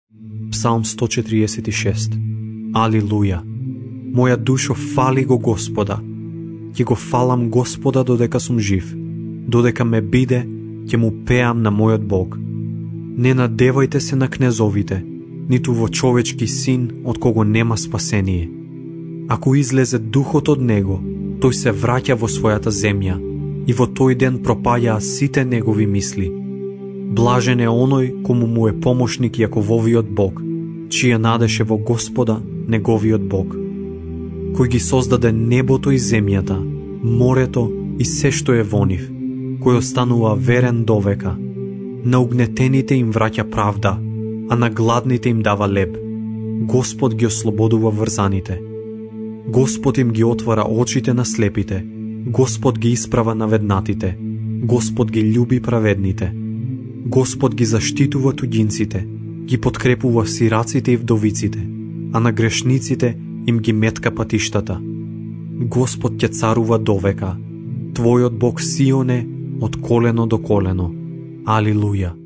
Псалм 146. Алилуја! Моја душо фали го Господа. Ќе го фалам Господа додека сум жив. Додека ме биде, ќе му пеам на мојот Бог. Не надевајте се на кнезовите, ниту во човечки син од кого нема спасение. Ако излезе духот од него, тој се враќа во својата земја и во тој ден пропаѓаа сите негови мисли. Блажен е оној кому му е помошник Јакововиот Бог, чија надеше во Господа, неговиот Бог. Кој ги создаде небото и земјата, морето и се што е во нив, кој останува верен довека. На угнетените им враќа правда, а на гладните им дава леб. Господ ги ослободува врзаните. Господ им ги отвара очите на слепите. Господ ги исправа наведнатите. Господ ги љуби праведните. Господ ги заштитува туѓинците, ги подкрепува сираците и вдовиците, а на грешниците им ги метка патиштата. Господ ќе царува довека. Твојот Бог Сионе од колено до колено. Алилуја!